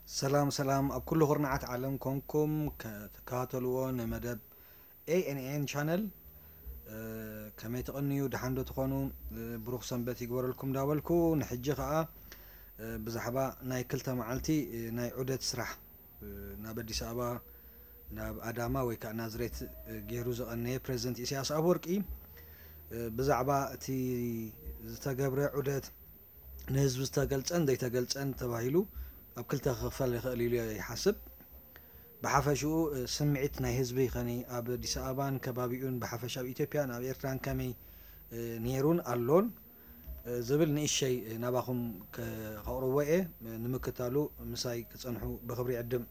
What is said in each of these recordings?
ሰላም ሰላም፣ ኣብ ኩሉ ኩርናዓት ዓለም ኮንኩም ክትከታተልዎ ንመደብ ኤ ኤን ኤን ቻነል። ከመይ ትቕንዩ? ደሓን ዶ ትኾኑ? ብሩኽ ሰንበት ይግበረልኩም እንዳበልኩ፣ ንሕጂ ኸኣ ብዛዕባ ናይ ክልተ መዓልቲ ናይ ዑደት ስራሕ ናብ ኣዲስ ኣበባ፣ ናብ ኣዳማ ወይ ከዓ ናዝሬት ገይሩ ዝቐነየ ፕሬዚደንት ኢሳያስ ኣፈወርቂ፣ ብዛዕባ እቲ ዝተገብረ ዑደት፣ ንህዝቢ ዝተገልጸን ዘይተገልጸን ተባሂሉ ኣብ ክልተ ክኽፈል ይኽእል ኢሉ ይሓስብ። ብሓፈሽኡ ስምዒት ናይ ህዝቢ ኸኒ ኣብ ኣዲስ ኣበባን ከባቢኡን፣ ብሓፈሻ ኣብ ኢትዮጵያን ኣብ ኤርትራን ከመይ ነይሩን ኣሎን ዝብል ንእሸይ ናባኹም ከቕርቦ እየ። ንምክታሉ ምሳይ ክጸንሑ ብኽብሪ ይዕድም።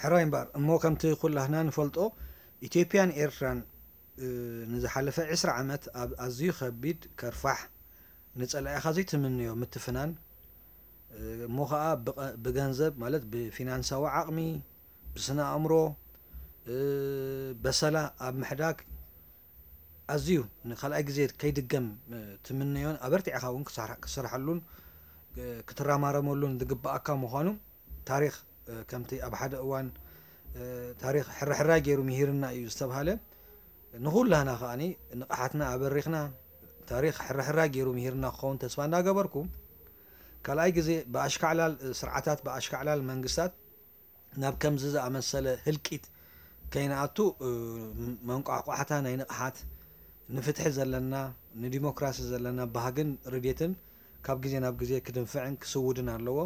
ሕራይ እምበር እሞ፣ ከምቲ ኩላህና ንፈልጦ፣ ኢትዮጵያን ኤርትራን ንዝሓለፈ ዕስራ ዓመት ኣብ ኣዝዩ ከቢድ ከርፋሕ፣ ንጸላኢኻ ዘይትምንዮ ምትፍናን፣ እሞ ኸኣ ብቐ-፣ ብገንዘብ ማለት ብፊናንሳዊ ዓቕሚ፣ ብስነ ኣእምሮ፣ በሰላ ኣብ ምሕዳግ ኣዝዩ ንኻልኣይ ግዜ ከይድገም ትምነዮን ኣበርቲዕኻ እውን ክሳራ-፣ ክስርሓሉን ክትራማረመሉን ዝግብኣካ ምዃኑ ታሪኽ፣ ከምቲ ኣብ ሓደ እዋን ታሪኽ ሕራሕራይ ገይሩ ምሂርና እዩ ዝተብሃለ፣ ንኹላህና ከኣኒ ንቕሓትና ኣበሪኽና፣ ታሪኽ ሕራሕራይ ገይሩ ምሂርና ክኸውን ተስፋ እንዳገበርኩ፣ ካልኣይ ግዜ ብኣሽካዕላል ስርዓታት፣ ብኣሽካዕላል መንግስታት ናብ ከምዚ ዝኣመሰለ ህልቂት ከይንኣቱ፣ መንቋሕቋሕታ ናይ ንቕሓት፣ ንፍትሒ ዘለና፣ ንዲሞክራሲ ዘለና ባህግን ርድየትን ካብ ግዜ ናብ ግዜ ክድንፍዕን ክስውድን ኣለዎ።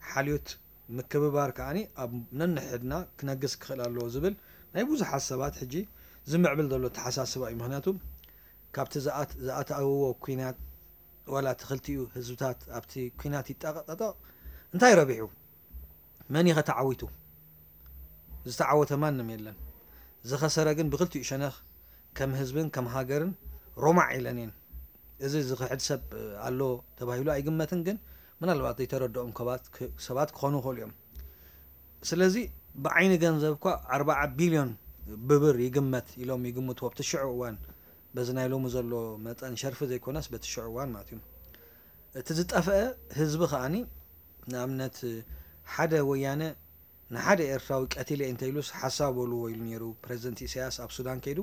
ሓልዮት ምክብባር ከኣኒ ኣብ ነንሕድና ክነግስ ክኽእል ኣለዎ ዝብል ናይ ብዙሓት ሰባት ሕጂ ዝምዕብል ዘሎ ኣተሓሳስባ እዩ። ምኽንያቱ ካብቲ ዝኣት-፣ ዝኣተውዎ ኲናት ዋላ እቲ ክልቲኡ ህዝብታት ኣብቲ ኲናት ይጠቐጠቕ እንታይ ረቢሑ? መን እዩ ተዓዊቱ? ዝተዓወተ ማንም የለን። ዝኸሰረ ግን ብክልቲኡ ሸነኽ ከም ህዝብን ከም ሃገርን ሮማዕ ኢለን እየን። እዚ ዝኽሕድ ሰብ ኣሎ ተባሂሉ ኣይግመትን፣ ግን ምናልባት ዘይተረድኦም ከባት-፣ ክ-፣ ሰባት ክኾኑ ይኽእሉ እዮም። ስለዚ ብዓይኒ ገንዘብ እኳ ኣርባዓ ቢልዮን ብብር ይግመት ኢሎም ይግምትዎ፣ ኣብቲ ሽዑ እዋን፣ በዚ ናይ ሎሚ ዘሎ መጠን ሸርፊ ዘይኮነስ በቲ ሽዑ እዋን ማለት እዩ። እቲ ዝጠፍአ ህዝቢ ከኣኒ፣ ንኣብነት፣ ሓደ ወያነ ንሓደ ኤርትራዊ ቀቲለ እየ እንተኢሉስ ሓሳብ በልዎ ኢሉ ነይሩ ፕረዚደንት ኢሳያስ ኣብ ሱዳን ከይዱ።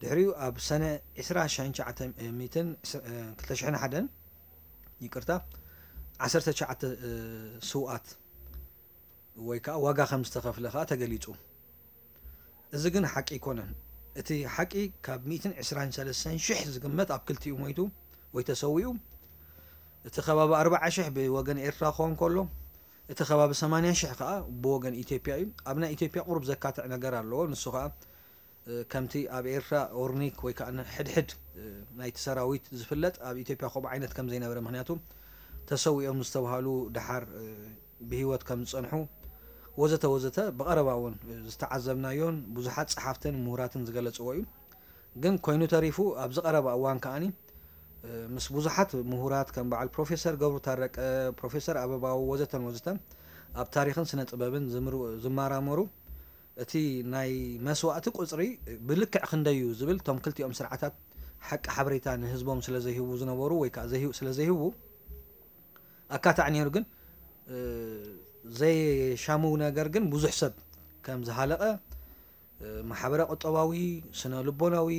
ድሕሪኡ ኣብ ሰነ ዕስራ ሺሕን ትሽዓተ ሚእትን፣ ክልተ ሽሕን ሓደን፣ ይቅርታ፣ ዓሰርተ ትሽዓተ ስውኣት ወይ ከዓ ዋጋ ከም ዝተኸፍለ ከዓ ተገሊጹ። እዚ ግን ሓቂ ኣይኮነን። እቲ ሓቂ ካብ ሚእትን ዕስራን ሰለስተን ሽሕ ዝግመት ኣብ ክልቲኡ ሞይቱ ወይ ተሰዊኡ። እቲ ከባቢ ኣርባዓ ሽሕ ብወገን ኤርትራ ክኸውን ከሎ፣ እቲ ከባቢ ሰማንያ ሽሕ ከዓ ብወገን ኢትዮጵያ እዩ። ኣብ ናይ ኢትዮጵያ ቁሩብ ዘካትዕ ነገር ኣለዎ። ንሱ ከዓ፣ እ፣ ከምቲ ኣብ ኤርትራ ኦርኒክ ወይ ከዓ ሕድሕድ፣ እ፣ ናይቲ ሰራዊት ዝፍለጥ፣ ኣብ ኢትዮጵያ ከምኡ ዓይነት ከም ዘይነበረ፣ ምኽንያቱ ተሰዊኦም ዝተብሃሉ ደሓር፣ እ፣ ብህይወት ከም ዝጸንሑ ወዘተ ወዘተ ብቐረባ እውን ዝተዓዘብናዮን ብዙሓት ጸሓፍትን ምሁራትን ዝገለጽዎ እዩ። ግን ኮይኑ ተሪፉ ኣብዚ ቀረባ እዋን ከኣኒ፣ እ፣ ምስ ብዙሓት ምሁራት ከም በዓል ፕሮፌሰር ገብሩ ታረቀ፣ ፕሮፌሰር ኣበባው ወዘተን ወዘተን ኣብ ታሪኽን ስነ ጥበብን ዝምሩ-፣ ዝመራመሩ እቲ ናይ መስዋእቲ ቁጽሪ ብልክዕ ክንደዩ ዝብል እቶም ክልቲኦም ስርዓታት ሓቂ ሓበሬታ ንህዝቦም ስለ ዘይህቡ ዝነበሩ ወይ ከዓ ዘይህቡ፣ ስለ ዘይህቡ ኣካታዕ ነይሩ። ግን፣ እ፣ ዘይሻሙ ነገር ግን ብዙሕ ሰብ ከም ዝሃለቐ፣ እ፣ ማሕበረ ቁጠባዊ፣ ስነ ልቦናዊ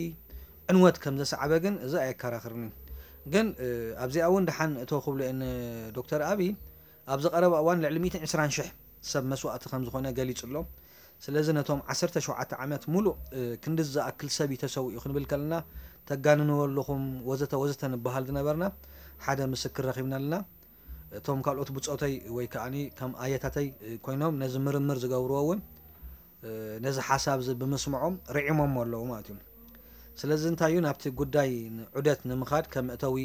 ዕንወት ከም ዘስዓበ ግን እዚ ኣየከራኽርኒ። ግን፣ እ፣ ኣብዚኣ እውን ደሓን እቶ ክብሎ እየ ንዶክተር ኣብይ ኣብዚ ቀረባ እዋን ልዕሊ ሚእትን ዕስራን ሽሕ ሰብ መስዋእቲ ከም ዝኾነ ገሊጹ ኣሎ። ስለዚ ነቶም ዓሰርተ ሸውዓተ ዓመት ሙሉእ፣ እ፣ ክንዲ ዝኣክል ሰብ እዩ ተሰዊኡ ክንብል ከለና ተጋንንዎ ኣለኹም ወዘተ ወዘተ ንበሃል ዝነበርና ሓደ ምስክር ረኺብና ኣለና። እቶም ካልኦት ብጾተይ ወይ ከኣኒ ከም ኣየታተይ፣ እ፣ ኮይኖም ነዚ ምርምር ዝገብርዎ እውን፣ እ፣ ነዚ ሓሳብ እዚ ብምስምዖም ርዒሞም ኣለዉ ማለት እዩ። ስለዚ እንታይ እዩ ናብቲ ጉዳይ ዑደት ንምኻድ ከም መእተዊ፣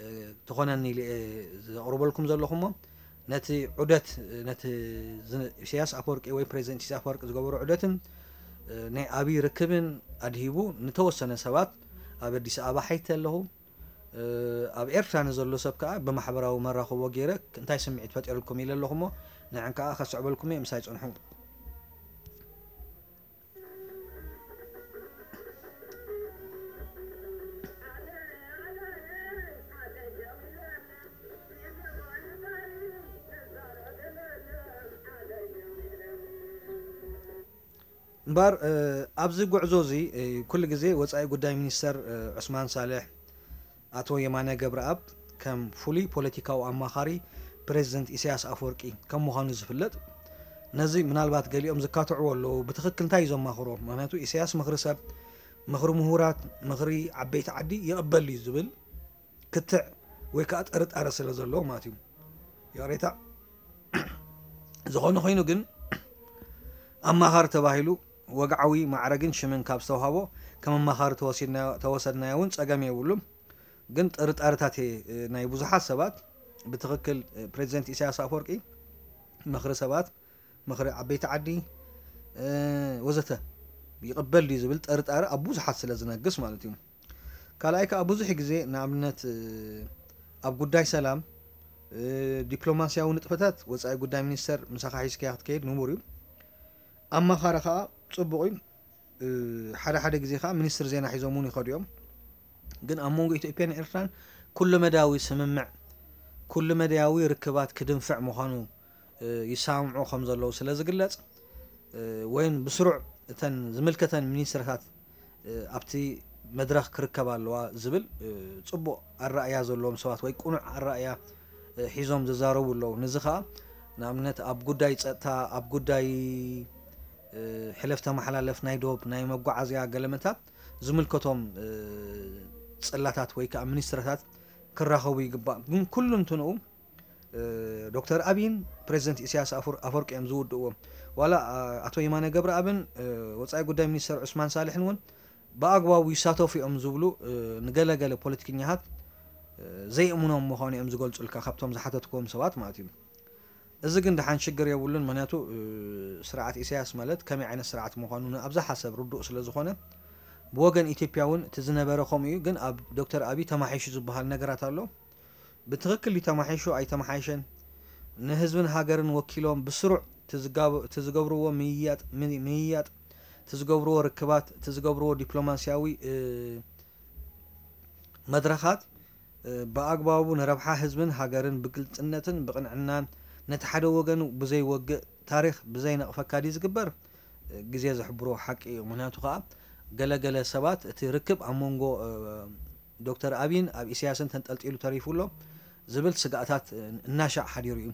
እ፣ ትኾነኒ ኢለ እየ ዘቕርበልኩም ዘለኹ እሞ፣ ነቲ ዑደት፣ ነቲ ዝ-፣ ኢሳያስ ኣፈወርቂ ወይ ፕሬዚደንት ኢሳያስ ኣፈወርቂ ዝገበሮ ዑደትን፣ እ፣ ናይ ኣብይ ርክብን ኣድሂቡ ንተወሰነ ሰባት ኣብ ኣዲስ ኣበባ ሓይቲ ኣለኹ። ኣብ ኤርትራ ንዘሎ ሰብ ከኣ ብማሕበራዊ መራኽቦ ገይረ እንታይ ስምዒት ፈጢሩልኩም ኢለ ኣለኹ እሞ፣ ንዕን ከኣ ከስዕበልኩም እየ፣ ምሳይ ጽንሑ። እምበኣር ኣብዚ ጉዕዞ እዚ ኩሉ ግዜ ወጻኢ ጉዳይ ሚኒስተር ዑስማን ሳልሕ፣ ኣቶ የማነ ገብረኣብ ከም ፍሉይ ፖለቲካዊ ኣማኻሪ ፕሬዚደንት ኢሳያስ ኣፈወርቂ ከም ምዃኑ ዝፍለጥ፣ ነዚ ምናልባት ገሊኦም ዝካትዕዎ ኣለዉ፣ ብትኽክል እንታይ እዩ ዘማኽሮ? ምኽንያቱ ኢሳያስ ምኽሪ ሰብ፣ ምኽሪ ምሁራት፣ ምኽሪ ዓበይቲ ዓዲ ይቕበል እዩ ዝብል ክትዕ ወይ ከዓ ጥርጣረ ስለ ዘለዎ ማለት እዩ። ይቕሬታ። ዝኾነ ኮይኑ ግን ኣማኻሪ ተባሂሉ ወግዓዊ ማዕረግን ሽምን ካብ ዝተውሃቦ ከም ኣማኻሪ ተወሲድናዮ-፣ ተወሰድናዮ እውን ጸገም የብሉን። ግን ጥርጣረታት እየ፣ እ፣ ናይ ብዙሓት ሰባት ብትኽክል፣ እ፣ ፕሬዚደንት ኢሳያስ ኣፈወርቂ ምኽሪ ሰባት፣ ምኽሪ ዓበይቲ ዓዲ፣ እ፣ ወዘተ ይቕበል ድዩ ዝብል ጥርጣረ ኣብ ብዙሓት ስለ ዝነግስ ማለት እዩ። ካልኣይ ከኣ ብዙሕ ግዜ ንኣብነት፣ እ፣ ኣብ ጉዳይ ሰላም፣ እ፣ ዲፕሎማስያዊ ንጥፈታት ወጻኢ ጉዳይ ሚኒስተር ምሳኻ ሒዝካዮ ክትከይድ ንቡር እዩ። ኣማኻሪ ከኣ ጽቡቕ እዩ። እ፣ ሓደ ሓደ ግዜ ከኣ ሚኒስትር ዜና ሒዞም እውን ይኸዱ እዮም። ግን ኣብ መንጎ ኢትዮጵያን ኤርትራን ኩሉ መዳያዊ ስምምዕ፣ ኩሉ መዳያዊ ርክባት ክድንፍዕ ምዃኑ፣ እ፣ ይሰማምዑ ከም ዘለዉ ስለ ዝግለጽ፣ እ፣ ወይን ብስሩዕ እተን ዝምልከተን ሚኒስትርታት፣ እ፣ ኣብቲ መድረኽ ክርከባ ኣለዋ ዝብል፣ እ፣ ጽቡቕ ኣረኣእያ ዘለዎም ሰባት ወይ ቅኑዕ ኣረኣእያ፣ እ፣ ሒዞም ዝዛረቡ ኣለዉ። ነዚ ኸኣ ንኣብነት ኣብ ጉዳይ ጸጥታ፣ ኣብ ጉዳይ፣ እ፣ ሕለፍ ተመሓላለፍ ናይ ዶብ፣ ናይ መጓዓዝያ ገለመታት ዝምልከቶም፣ እ፣ ጽላታት ወይ ከኣ ሚኒስትርታት ክራኸቡ ይግባእ። ግን ኩሉ እንትንኡ፣ እ፣ ዶክተር ኣብይን ፕሬዚደንት ኢሳያስ ኣፈር-፣ ኣፈወርቂ እዮም ዝውድእዎ። ዋላ፣ ኣ-፣ ኣቶ የማነ ገብረኣብን፣ እ፣ ወጻኢ ጉዳይ ሚኒስተር ዑስማን ሳልሕን እውን ብኣግባቡ ይሳተፉ እዮም ዝብሉ፣ እ፣ ንገለገለ ፖለቲከኛታት፣ እ፣ ዘይእምኖም ምዃኑ እዮም ዝገልጹልካ፣ ካብቶም ዝሓተትክዎም ሰባት ማለት እዩ። እዚ ግን ደሓን ሽግር የብሉን፣ ምኽንያቱ፣ እ፣ ስርዓት ኢሳያስ ማለት ከመይ ዓይነት ስርዓት ምዃኑ ንኣብዝሓ ሰብ ርዱእ ስለ ዝኾነ፣ ብወገን ኢትዮጵያ እውን እቲ ዝነበረ ከምኡ እዩ፣ ግን ኣብ ዶክተር ኣብይ ተማሒሹ ዝበሃል ነገራት ኣሎ። ብትኽክል እዩ ተማሒሹ ኣይተመሓየሸን። ንህዝብን ሃገርን ወኪሎም ብስሩዕ እቲ ዝጋብ-፣ እቲ ዝገብርዎ ምይያጥ፣ ም-፣ ምይያጥ፣ እቲ ዝገብርዎ ርክባት፣ እቲ ዝገብርዎ ዲፕሎማስያዊ፣ እ፣ መድረኻት፣ እ፣ ብኣግባቡ ንረብሓ ህዝብን ሃገርን ብግልጽነትን ብቕንዕናን ነቲ ሓደ ወገን ብዘይወግእ ታሪኽ ብዘይነቕፈካ ድዩ ዝግበር? እ፣ ግዜ ዝሕብሮ ሓቂ እዩ። ምኽንያቱ ከኣ ገለ ገለ ሰባት እቲ ርክብ ኣብ መንጎ፣ እ፣ ዶክተር ኣብይን ኣብ ኢሳያስን ተንጠልጢሉ ተሪፉ ኣሎ ዝብል ስጋኣታት፣ እ፣ እናሻዕ ሓዲሩ እዩ።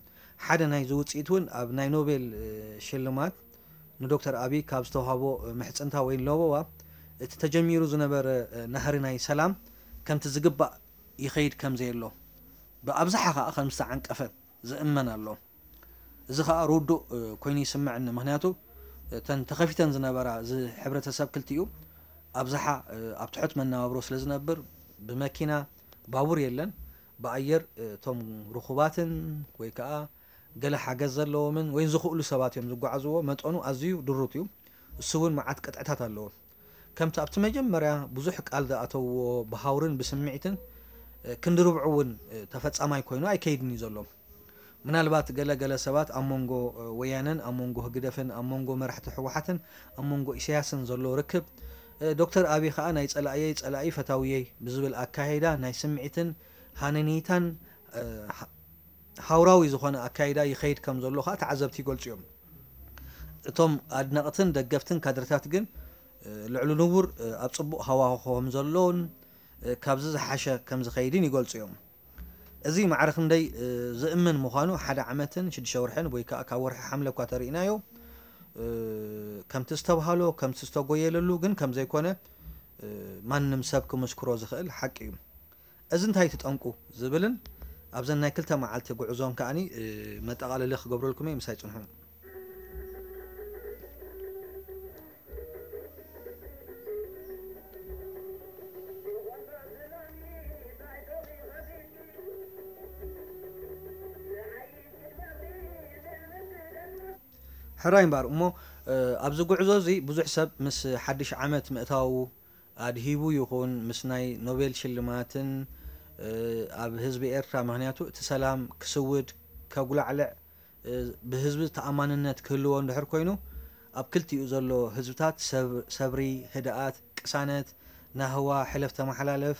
ሓደ ናይዚ ውጽኢት እውን ኣብ ናይ ኖቤል፣ እ፣ ሽልማት ንዶክተር ኣብይ ካብ ዝተውሃቦ፣ እ፣ ምሕጽንታ ወይ ለበዋ እቲ ተጀሚሩ ዝነበረ፣ እ፣ ናህሪ ናይ ሰላም ከምቲ ዝግባእ ይኸይድ ከም ዘየሎ፣ ብኣብዝሓ ኸኣ ከም ዝተዓንቀፈ ዝእመን ኣሎ። እዚ ኸኣ ርዱእ፣ እ፣ ኮይኑ ይስምዐኒ። ምኽንያቱ እተን ተኸፊተን ዝነበራ እዚ ሕብረተሰብ ክልቲኡ ኣብዝሓ፣ እ፣ ኣብ ትሑት መነባብሮ ስለ ዝነብር ብመኪና፣ ባቡር የለን፣ ብኣየር፣ እ፣ እቶም ርኹባትን ወይ ከኣ ገለ ሓገዝ ዘለዎምን ወይ ዝኽእሉ ሰባት እዮም ዝጓዓዝዎ። መጠኑ ኣዝዩ ድሩት እዩ። እሱ እውን መዓት ቅጥዕታት ኣለዎ። ከምቲ ኣብቲ መጀመርያ ብዙሕ ቃል ዝኣተውዎ ብሃውርን ብስምዒትን፣ እ፣ ክንዲ ርብዑ እውን፣ እ፣ ተፈጻማይ ኮይኑ ኣይከይድን እዩ ዘሎ። ምናልባት ገለ ገለ ሰባት ኣብ መንጎ፣ እ፣ ወያነን ኣብ መንጎ ህግደፍን ኣብ መንጎ መራሕቲ ህወሓትን ኣብ መንጎ ኢሳያስን ዘሎ ርክብ፣ እ፣ ዶክተር ኣብይ ኸኣ ናይ ጸላእየይ ጸላኢ ፈታውየይ ብዝብል ኣካይዳ ናይ ስምዒትን ሃነኔታን፣ እ፣ ሃ-፣ ሃውራዊ ዝኾነ ኣካይዳ ይኸይድ ከም ዘሎ ኸኣ ተዓዘብቲ ይገልጹ እዮም። እቶም ኣድነቕትን ደገፍትን ካድርታት ግን፣ እ፣ ልዕሊ ንቡር፣ እ፣ ኣብ ጽቡቕ ሃዋህው ከም ዘሎን፣ እ፣ ካብዚ ዝሓሸ ከም ዝኸይድን ይገልጹ እዮም። እዚ ማዕረ ክንደይ፣ እ፣ ዝእመን ምዃኑ ሓደ ዓመትን ሽዱሽተ ወርሕን ወይ ከኣ ካብ ወርሒ ሓምለ እኳ ተርኢናዮ፣ እ፣ ከምቲ ዝተብሃሎ፣ ከምቲ ዝተጎየለሉ ግን ከም ዘይኮነ፣ እ፣ ማንም ሰብ ክምስክሮ ዝኽእል ሓቂ እዩ። እዚ እንታይ እቲ ጠንቁ ዝብልን ኣብዘን ናይ ክልተ መዓልቲ ጉዕዞን ከኣኒ፣ እ፣ መጠቓለሊ ክገብረልኩም እየ፣ ምሳይ ጽንሑ። ሕራይ እምበኣር እሞ፣ እ፣ ኣብዚ ጉዕዞ እዚ ብዙሕ ሰብ ምስ ሓድሽ ዓመት ምእታዉ ኣድሂቡ ይኹን ምስ ናይ ኖቤል ሽልማትን፣ ኣብ ህዝቢ ኤርትራ። ምኽንያቱ እቲ ሰላም ክስውድ፣ ከጉላዕልዕ፣ ብህዝቢ ተኣማንነት ክህልዎ እንድሕር ኮይኑ፣ ኣብ ክልቲኡ ዘሎ ህዝብታት ሰብ-፣ ሰብሪ፣ ህድኣት፣ ቅሳነት፣ ናህዋ፣ ሕለፍ ተመሓላለፍ፣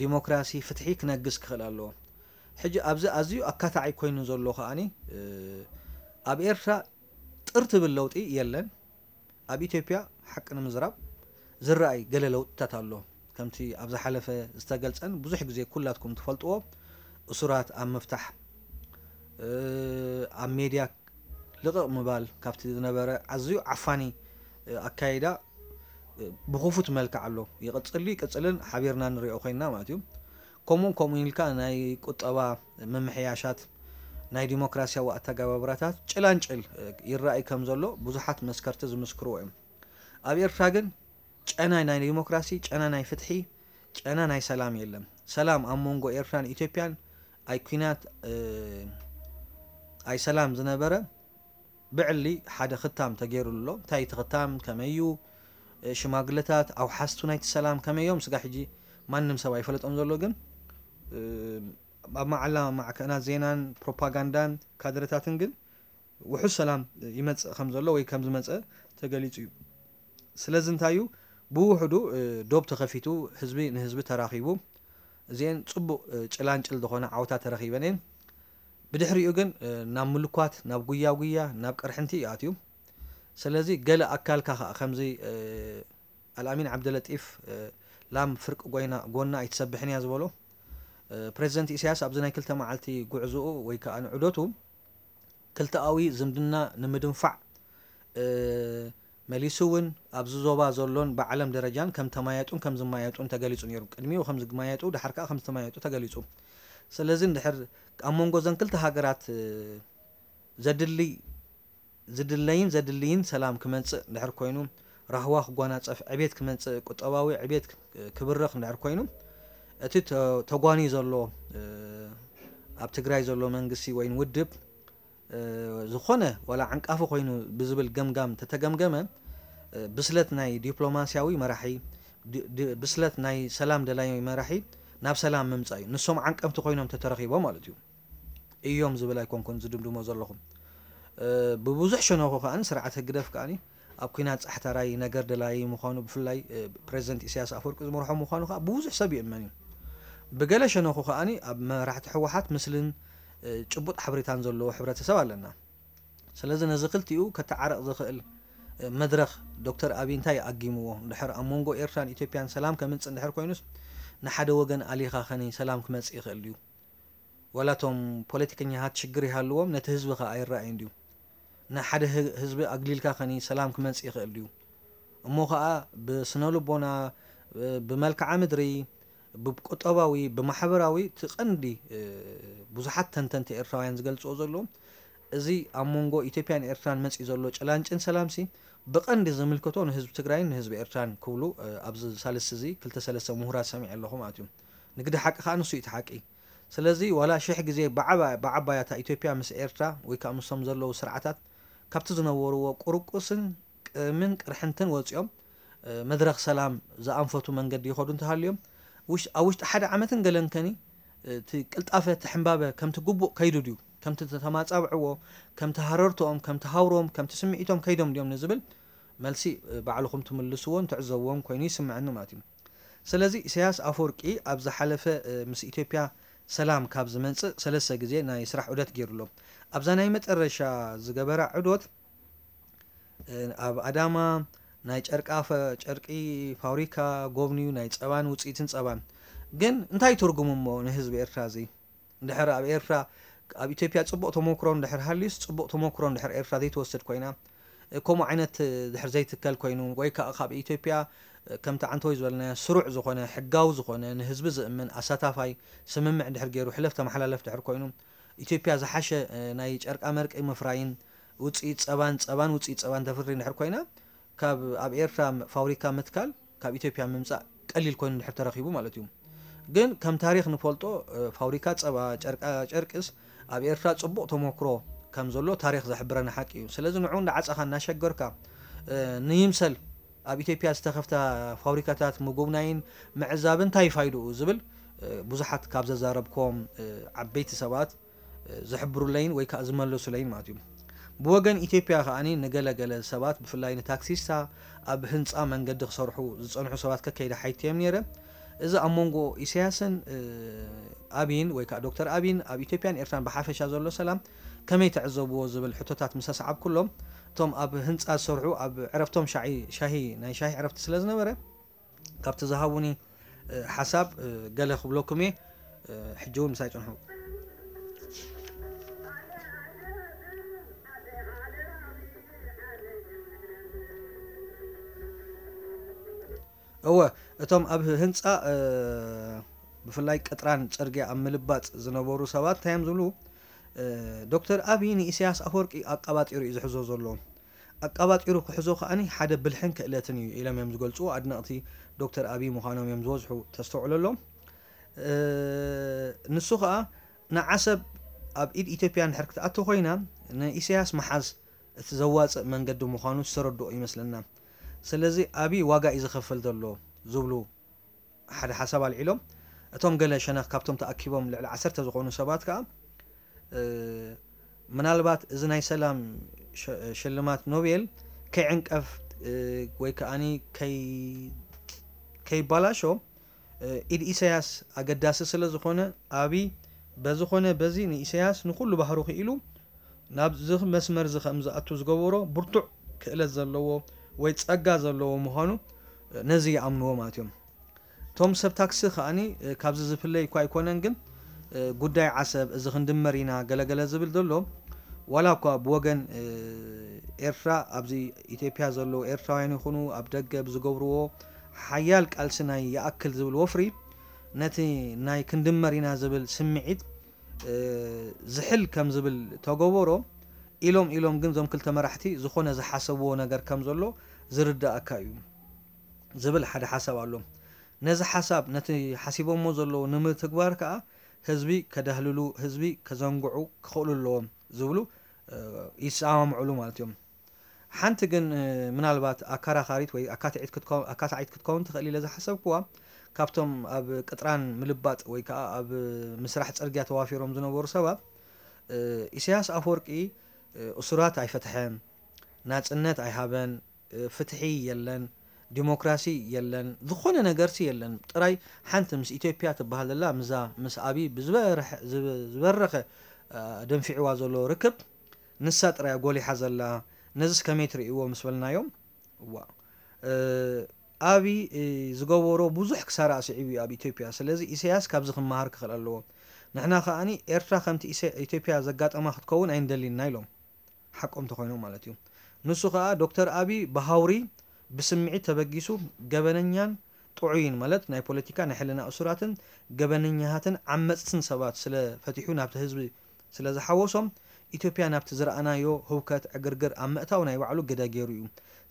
ዲሞክራሲ፣ ፍትሒ ክነግስ ክኽእል ኣለዎ። ሕጂ ኣብዚ ኣዝዩ ኣካታዒ ኮይኑ ዘሎ ከኣኒ፣ ኣብ ኤርትራ ጥር ትብል ለውጢ የለን። ኣብ ኢትዮጵያ፣ ሓቂ ንምዝራብ፣ ዝረኣይ ገለ ለውጥታት ኣሎ። ከምቲ ኣብ ዝሓለፈ ዝተገልጸን ብዙሕ ግዜ ኩላትኩም ትፈልጥዎ፣ እሱራት ኣብ ምፍታሕ፣ ኣብ ሜድያ ልቕቕ ምባል፣ ካብቲ ዝነበረ ኣዝዩ ዓፋኒ ኣካይዳ ብኽፉት መልክዕ ኣሎ። ይቕጽል እዩ፣ ይቅጽልን ሓቢርና ንሪኦ ኮይንና ማለት እዩ። ከምኡ ከምኡ ኢልካ ናይ ቁጠባ ምምሕያሻት፣ ናይ ዲሞክራሲያዊ ኣተገባብራታት ጭላንጭል ይረኣይ ከም ዘሎ ብዙሓት መስከርቲ ዝምስክርዎ እዮም። ኣብ ኤርትራ ግን ጨና ናይ ዲሞክራሲ፣ ጨና ናይ ፍትሒ፣ ጨና ናይ ሰላም የለን። ሰላም ኣብ መንጎ ኤርትራን ኢትዮጵያን ኣይ ኲናት፣ ኣይ ሰላም ዝነበረ ብዕሊ ሓደ ክታም ተገይሩሉ ኣሎ። እንታይ እቲ ክታም፣ ከመይ እዩ፣ ሽማግለታት፣ ኣውሓስቱ ናይቲ ሰላም ከመይ እዮም፣ ስጋ ሕጂ ማንም ሰብ ኣይፈለጦም ዘሎ። ግን ኣብ መዓላ ማዕከናት ዜናን ፕሮፓጋንዳን ካድረታትን ግን ውሑስ ሰላም ይመጽእ ከም ዘሎ ወይ ከም ዝመጸ ተገሊጹ እዩ። ስለዚ እንታይ እዩ፣ ብውሕዱ ዶብ ተኸፊቱ፣ ህዝቢ ንህዝቢ ተራኺቡ፣ እዚኤን ጽቡቕ ጭላንጭል ዝኾነ ዓወታት ተረኺበን እየን። ብድሕሪኡ ግን ናብ ምልኳት፣ ናብ ጉያ ጉያ፣ ናብ ቅርሕንቲ እዩ ኣትዩ። ስለዚ ገለ ኣካልካ ኸኣ ከምዚ ኣልኣሚን ዓብደለጢፍ፣ ላም ፍርቂ ጎይና፣ ጎና ኣይትሰብሕን እያ ዝበሎ፣ ፕሬዚደንት ኢሳያስ ኣብዚ ናይ ክልተ መዓልቲ ጉዕዞኡ ወይ ከኣ ንዑደቱ ክልተኣዊ ዝምድና ንምድንፋዕ፣ መሊሱ እውን ኣብዚ ዞባ ዘሎን ብዓለም ደረጃን ከም ተማየጡን ከም ዝማየጡን ተገሊጹ ነይሩ። ቅድሚኡ ከም ዝማየጡ፣ ድሓር ከኣ ከም ዝተማየጡ ተገሊጹ። ስለዚ እንድሕር ኣብ መንጎ እዘን ክልተ ሃገራት ዘድሊ ዝድለይን ዘድልይን ሰላም ክመጽእ እንድሕር ኮይኑ፣ ራህዋ ክጓናጸፍ፣ ዕቤት ክመጽእ፣ ቁጠባዊ ዕቤት ክብርኽ እንድሕር ኮይኑ፣ እቲ ተ-፣ ተጓንዩ ዘሎ፣ ኣብ ትግራይ ዘሎ መንግስቲ ወይን ውድብ፣ ዝኾነ ዋላ ዓንቃፊ ኮይኑ ብዝብል ገምጋም ተተገምገመ፣ ብስለት ናይ ዲፕሎማስያዊ መራሒ፣ ድ-፣ ድ-፣ ብስለት ናይ ሰላም ደላዪ መራሒ ናብ ሰላም ምምጻእ እዩ። ንሶም ዓንቀፍቲ ኮይኖም ተተረኺቦም ማለት እዩ። እዮም ዝብል ኣይኮንኩን ዝድምድሞ ዘለኹ። ብብዙሕ ሸነኹ ከኣ ስርዓት ህግደፍ ከኣ ኣብ ኲናት ጻሕታራይ፣ ነገር ደላዪ ምዃኑ፣ ብፍላይ ፕሬዚደንት ኢሳያስ ኣፈወርቂ ዝመርሖ ምዃኑ ከኣ ብብዙሕ ሰብ ይእመን እዩ። ብገለ ሸነኹ ከኣ ኣብ መራሕቲ ህወሓት ምስልን ጭቡጥ ሓበሬታን ዘለዎ ሕብረተሰብ ኣለና። ስለዚ ነዚ ክልቲኡ ከተዓርቕ ዝኽእል መድረኽ ዶክተር ኣብይ እንታይ ኣጊምዎ? እንድሕር ኣብ መንጎ ኤርትራን ኢትዮጵያን ሰላም ከምጽእ እንድሕር ኮይኑስ፣ ንሓደ ወገን ኣሊኻ ኸኒ ሰላም ክመጽእ ይኽእል ድዩ? ዋላ እቶም ፖለቲከኛታት ሽግር ይሃልዎም፣ ነቲ ህዝቢ ኸኣ ኣይረኣይን ድዩ? ንሓደ ህ-፣ ህዝቢ ኣግሊልካ ኸኒ ሰላም ክመጽእ ይኽእል ድዩ? እሞ ኸኣ ብስነ ልቦና፣ ብመልክዓ ምድሪ፣ ብቁጠባዊ፣ ብማሕበራዊ፣ እቲ ቀንዲ፣ እ፣ ብዙሓት ተንተንቲ ኤርትራውያን ዝገልጽዎ ዘለዉ፣ እዚ ኣብ መንጎ ኢትዮጵያን ኤርትራን መጺኡ ዘሎ ጭላንጭን ሰላምሲ ብቐንዲ ዝምልከቶ ንህዝቢ ትግራይን ንህዝቢ ኤርትራን ክብሉ፣ እ፣ ኣብዚ ሳልስቲ እዚ ክልተ ሰለስተ ምሁራት ሰሚዐ ኣለኹ ማለት እዩ። ንግዲ ሓቂ ከኣ ንሱ እዩ እቲ ሓቂ። ስለዚ ዋላ ሽሕ ግዜ ብዓባ-፣ ብዓባያታ ኢትዮጵያ ምስ ኤርትራ ወይ ከኣ ምስቶም ዘለዉ ስርዓታት ካብቲ ዝነበርዎ ቁርቁስን ቅምን ቅርሕንትን ወጺኦም፣ እ፣ መድረኽ ሰላም ዝኣንፈቱ መንገዲ ይኸዱ እንተሃልዮም፣ ውሽ-፣ ኣብ ውሽጢ ሓደ ዓመትን ገለን ከኒ፣ እ፣ እቲ ቅልጣፈ፣ እቲ ሕምባበ ከምቲ ግቡእ ከይዱ ድዩ? ከምቲ ተማጻብዕዎ፣ ከምቲ ሃረርትኦም፣ ከምቲ ሃውሮም፣ ከምቲ ስምዒቶም ከይዶም ድዮም ንዝብል መልሲ፣ እ፣ ባዕልኹም ትምልስዎን ትዕዘብዎን ኮይኑ ይስምዐኒ ማለት እዩ። ስለዚ ኢሳያስ ኣፈወርቂ ኣብ ዝሓለፈ፣ እ፣ ምስ ኢትዮጵያ ሰላም ካብ ዝመጽእ ሰለስተ ግዜ ናይ ስራሕ ዑደት ገይሩ ኣሎ። ኣብዛ ናይ መጨረሻ ዝገበራ ዑደት፣ እ፣ ኣብ ኣዳማ ናይ ጨርቃ ፈ-፣ ጨርቂ ፋብሪካ ጎብንዩ፣ ናይ ጸባን ውጽኢትን ጸባን። ግን እንታይ ትርጉሙ እሞ ንህዝቢ ኤርትራ እዚ? እንድሕር ኣብ ኤርትራ፣ ኣብ ኢትዮጵያ ጽቡቕ ተመክሮ እንድሕር ሃልዩስ፣ ጽቡቕ ተመክሮ እንድሕር ኤርትራ ዘይትወስድ ኮይና፣ እ፣ ከምኡ ዓይነት፣ እ፣ ድሕር ዘይትከል ኮይኑ፣ ወይ ከኣ ካብ ኢትዮጵያ፣ እ፣ ከምቲ ዓንተወይ ዝበልናዮ ስሩዕ ዝኾነ፣ ሕጋዊ ዝኾነ፣ ንህዝቢ ዝእምን፣ ኣሳታፋይ ስምምዕ እንድሕር ገይሩ፣ ሕለፍ ተመሓላለፍ ድሕር ኮይኑ፣ ኢትዮጵያ ዝሓሸ፣ እ፣ ናይ ጨርቃ መርቂ ምፍራይን፣ ውጽኢት ጸባን፣ ጸባን ውጽኢት ጸባን ተፍሪ እንድሕር ኮይና፣ ካብ ኣብ ኤርትራ ፋብሪካ ምትካል፣ ካብ ኢትዮጵያ ምምጻእ ቀሊል ኮይኑ እንድሕር ተረኺቡ ማለት እዩ። ግን ከም ታሪኽ ንፈልጦ፣ እ፣ ፋብሪካ ጸባ፣ ጨርቃ ጨርቅስ ኣብ ኤርትራ ጽቡቕ ተመክሮ ከም ዘሎ ታሪኽ ዝሕብረና ሓቂ እዩ። ስለዚ ንዑ እንዳዓጸኻ እናሸገርካ፣ እ፣ ንይምሰል ኣብ ኢትዮጵያ ዝተኸፍታ ፋብሪካታት ምጉብናይን ምዕዛብን እንታይ ፋይድኡ ዝብል ብዙሓት ካብ ዘዛረብኮም ዓበይቲ ሰባት ዝሕብሩለይን ወይ ከዓ ዝመለሱለይን ማለት እዩ። ብወገን ኢትዮጵያ ከዓኒ ንገለገለ ሰባት፣ ብፍላይ ንታክሲስታ፣ ኣብ ህንፃ መንገዲ ክሰርሑ ዝፀንሑ ሰባት ከከይደ ሓይትዮም ነይረ። እዚ ኣብ መንጎ ኢሳያስን ኣብይን ወይ ከዓ ዶክተር ኣብይን ኣብ ኢትዮጵያን ኤርትራን ብሓፈሻ ዘሎ ሰላም ከመይ ትዕዘብዎ ዝብል ሕቶታት ምስ ኣስዓብኩሎም፣ እቶም ኣብ ህንፃ ዝሰርሑ ኣብ ዕረፍቶም ሻሂ ናይ ሻሂ ዕረፍቲ ስለ ዝነበረ፣ ካብቲ ዝሃቡኒ ሓሳብ ገለ ክብለኩም እየ። ሕጂ እውን ምሳይ ጽንሑ። እወ፣ እቶም ኣብ ህንፃ ብፍላይ ቅጥራን ፅርግያ ኣብ ምልባጥ ዝነበሩ ሰባት እንታይ እዮም ዝብሉ? ዶክተር ኣብይ ንኢሳያስ ኣፈወርቂ ኣቀባጢሩ እዩ ዝሕዞ ዘሎ። ኣቀባጢሩ ክሕዞ ከዓኒ ሓደ ብልሕን ክእለትን እዩ ኢሎም እዮም ዝገልፁ። ኣድነቕቲ ዶክተር ኣብይ ምዃኖም እዮም ዝበዝሑ ተስተውዕለሎም። ንሱ ከዓ ንዓሰብ ኣብ ኢድ ኢትዮጵያ እንድሕር ክትኣቱ ኮይና ንኢሳያስ ምሓዝ እቲ ዘዋፅእ መንገዲ ምዃኑ ዝተረድኦ ይመስለና። ስለዚ ኣብይ ዋጋ እዩ ዝኸፍል ዘሎ ዝብሉ ሓደ ሓሳብ ኣልዒሎም። እቶም ገለ ሸነኽ ካብቶም ተኣኪቦም ልዕሊ ዓሰርተ ዝኾኑ ሰባት ከዓ ምናልባት እዚ ናይ ሰላም ሽልማት ኖቤል ከይዕንቀፍ ወይ ከዓኒ ከይባላሾ ኢድ ኢሳያስ ኣገዳሲ ስለ ዝኾነ ኣብይ በዝኾነ በዚ ንኢሳያስ ንኹሉ ባህሩ ክኢሉ ናብዚ መስመር እዚ ከም ዝኣቱ ዝገበሮ ብርቱዕ ክእለት ዘለዎ ወይ ጸጋ ዘለዎ ምዃኑ ነዚ ይኣምንዎ ማለት እዮም። እቶም ሰብ ታክሲ ከዓኒ ካብዚ ዝፍለይ እኳ ኣይኮነን፣ ግን ጉዳይ ዓሰብ እዚ ክንድመር ኢና ገለገለ ዝብል ዘሎ ዋላ እኳ ብወገን ኤርትራ ኣብዚ ኢትዮጵያ ዘለዉ ኤርትራውያን ይኹኑ ኣብ ደገ ብዝገብርዎ ሓያል ቃልሲ ናይ ይኣክል ዝብል ወፍሪ ነቲ ናይ ክንድመር ኢና ዝብል ስምዒት ዝሕል ከም ዝብል ተገበሮ ኢሎም ኢሎም ግን እዞም ክልተ መራሕቲ ዝኾነ ዝሓሰብዎ ነገር ከም ዘሎ ዝርዳእካ እዩ ዝብል ሓደ ሓሳብ ኣሎ። ነዚ ሓሳብ ነቲ ሓሲቦሞ ዘለዉ ንምትግባር ከዓ ህዝቢ ከዳህልሉ ህዝቢ ከዘንግዑ ክኽእሉ ኣለዎም ዝብሉ ይሰማምዕሉ ማለት እዮም። ሓንቲ ግን ምናልባት ኣከራኻሪት ወይ ኣካታዒት ክትከውን ትኽእል ኢለ ዝሓሰብክዋ ካብቶም ኣብ ቅጥራን ምልባጥ ወይ ከዓ ኣብ ምስራሕ ፅርግያ ተዋፊሮም ዝነበሩ ሰባት ኢሳያስ ኣፈወርቂ እሱራት ኣይፈትሐን፣ ናፅነት ኣይሃበን፣ ፍትሒ የለን፣ ዲሞክራሲ የለን፣ ዝኾነ ነገርሲ የለን። ጥራይ ሓንቲ ምስ ኢትዮጵያ ትበሃል ዘላ ምዛ ምስ ኣብይ ብዝበረኸ ደንፊዕዋ ዘሎ ርክብ ንሳ ጥራይ ጎሊሓ ዘላ። ነዚስ ከመይ ትርእይዎ ምስ በልናዮም፣ ዋ ኣብይ ዝገበሮ ብዙሕ ክሳራ ስዒቡ እዩ ኣብ ኢትዮጵያ። ስለዚ ኢሳያስ ካብዚ ክመሃር ክኽእል ኣለዎ። ንሕና ከዓኒ ኤርትራ ከምቲ ኢትዮጵያ ዘጋጠማ ክትከውን ኣይንደሊና ኢሎም። ሓቆም ተኮይኖም ማለት እዩ። ንሱ ከዓ ዶክተር ኣብይ ብሃውሪ ብስምዒት ተበጊሱ ገበነኛን ጥዑይን ማለት ናይ ፖለቲካ ናይ ሕልና እሱራትን ገበነኛሃትን ዓመፅትን ሰባት ስለ ፈቲሑ ናብቲ ህዝቢ ስለ ዝሓወሶም ኢትዮጵያ ናብቲ ዝረኣናዮ ህውከት ዕግርግር ኣብ ምእታው ናይ ባዕሉ ግደ ገይሩ እዩ።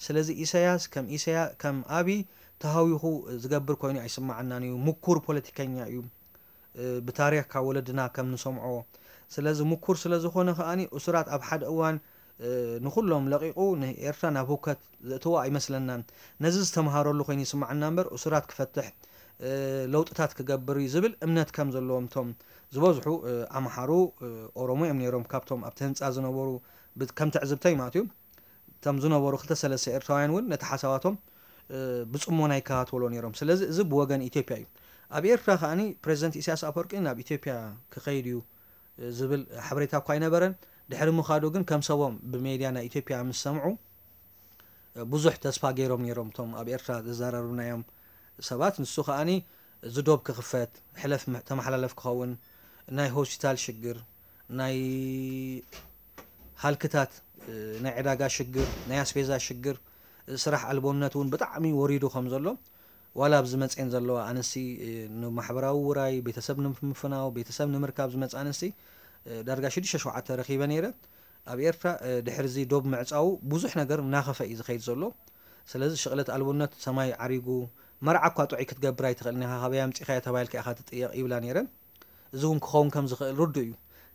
ስለዚ ኢሳያስ ከም ኢሳያ ከም ኣብይ ተሃዊኹ ዝገብር ኮይኑ ኣይስማዓናን እዩ። ምኩር ፖለቲከኛ እዩ። ብታሪኽ ካብ ወለድና ከም ንሰምዖ ስለዚ ምኩር ስለ ዝኾነ ከዓኒ እሱራት ኣብ ሓደ እዋን ንኹሎም ለቒቑ ንኤርትራ ናብ ህውከት ዘእትዋ ኣይመስለናን። ነዚ ዝተምሃረሉ ኮይኑ ይስማዓና እምበር እሱራት ክፈትሕ ለውጥታት ክገብር እዩ ዝብል እምነት ከም ዘለዎም እቶም ዝበዝሑ ኣምሓሩ ኦሮሞ እዮም ነይሮም ካብቶም ኣብቲ ህንፃ ዝነበሩ ከም ትዕዝብተይ ማለት እዩ። እቶም ዝነበሩ ክልተ ሰለስተ ኤርትራውያን እውን ነቲ ሓሳባቶም ብፅሞና ይከታተሎ ነይሮም። ስለዚ እዚ ብወገን ኢትዮጵያ እዩ። ኣብ ኤርትራ ከዓኒ ፕሬዚደንት ኢሳያስ ኣፈወርቂ ናብ ኢትዮጵያ ክኸይድ እዩ ዝብል ሓበሬታ እኳ ኣይነበረን። ድሕሪ ምኻዱ ግን ከም ሰቦም ብሜድያ ናይ ኢትዮጵያ ምስ ሰምዑ ብዙሕ ተስፋ ገይሮም ነይሮም እቶም ኣብ ኤርትራ ዘዘራረብናዮም ሰባት። ንሱ ከዓኒ እዚ ዶብ ክኽፈት፣ ሕለፍ ተመሓላለፍ ክኸውን፣ ናይ ሆስፒታል ሽግር፣ ናይ ሃልክታት ናይ ዕዳጋ ሽግር፣ ናይ ኣስቤዛ ሽግር፣ ስራሕ ኣልቦነት እውን ብጣዕሚ ወሪዱ ከም ዘሎ ዋላ ኣብዚ መፅኤን ዘለዋ ኣንስቲ ንማሕበራዊ ውራይ ቤተሰብ ንምፍናው ቤተሰብ ንምርካብ ዝመፅእ ኣንስቲ ዳርጋ ሽዱሽተ ሸውዓተ ረኺበ ነይረ። ኣብ ኤርትራ ድሕሪ እዚ ዶብ ምዕፃው ብዙሕ ነገር እናኸፈ እዩ ዝኸይድ ዘሎ። ስለዚ ሽቕለት ኣልቦነት ሰማይ ዓሪጉ መርዓ እኳ ጥዑይ ክትገብር ኣይትኽእልን ኢኻ ካበይ ኣምፂኻዮ ተባሂልካ ኢኻ ትጥየቕ ይብላ ነይረን። እዚ እውን ክኸውን ከም ዝኽእል ርዱእ እዩ።